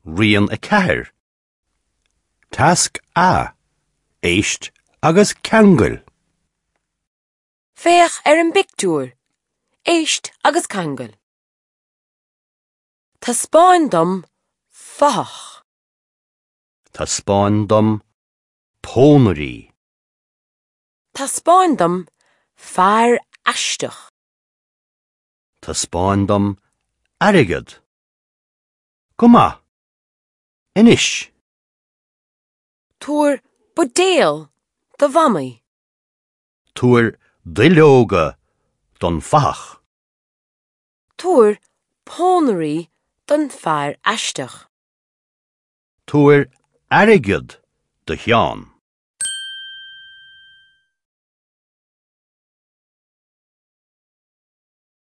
Rian 4. Tasc A, Éist agus ceangail. Féach ar an bpictiúr. Éist agus ceangail. Taispeáin dom fathach. Taispeáin dom pónairí. Taispeáin dom fear aisteach. Taispeáin dom airgead. Go maith. Anois. Tabhair buidéal do Mhamaí. Tabhair duilleoga don fathach. Tabhair pónairí don fear aisteach. Tabhair airgead do Sheán.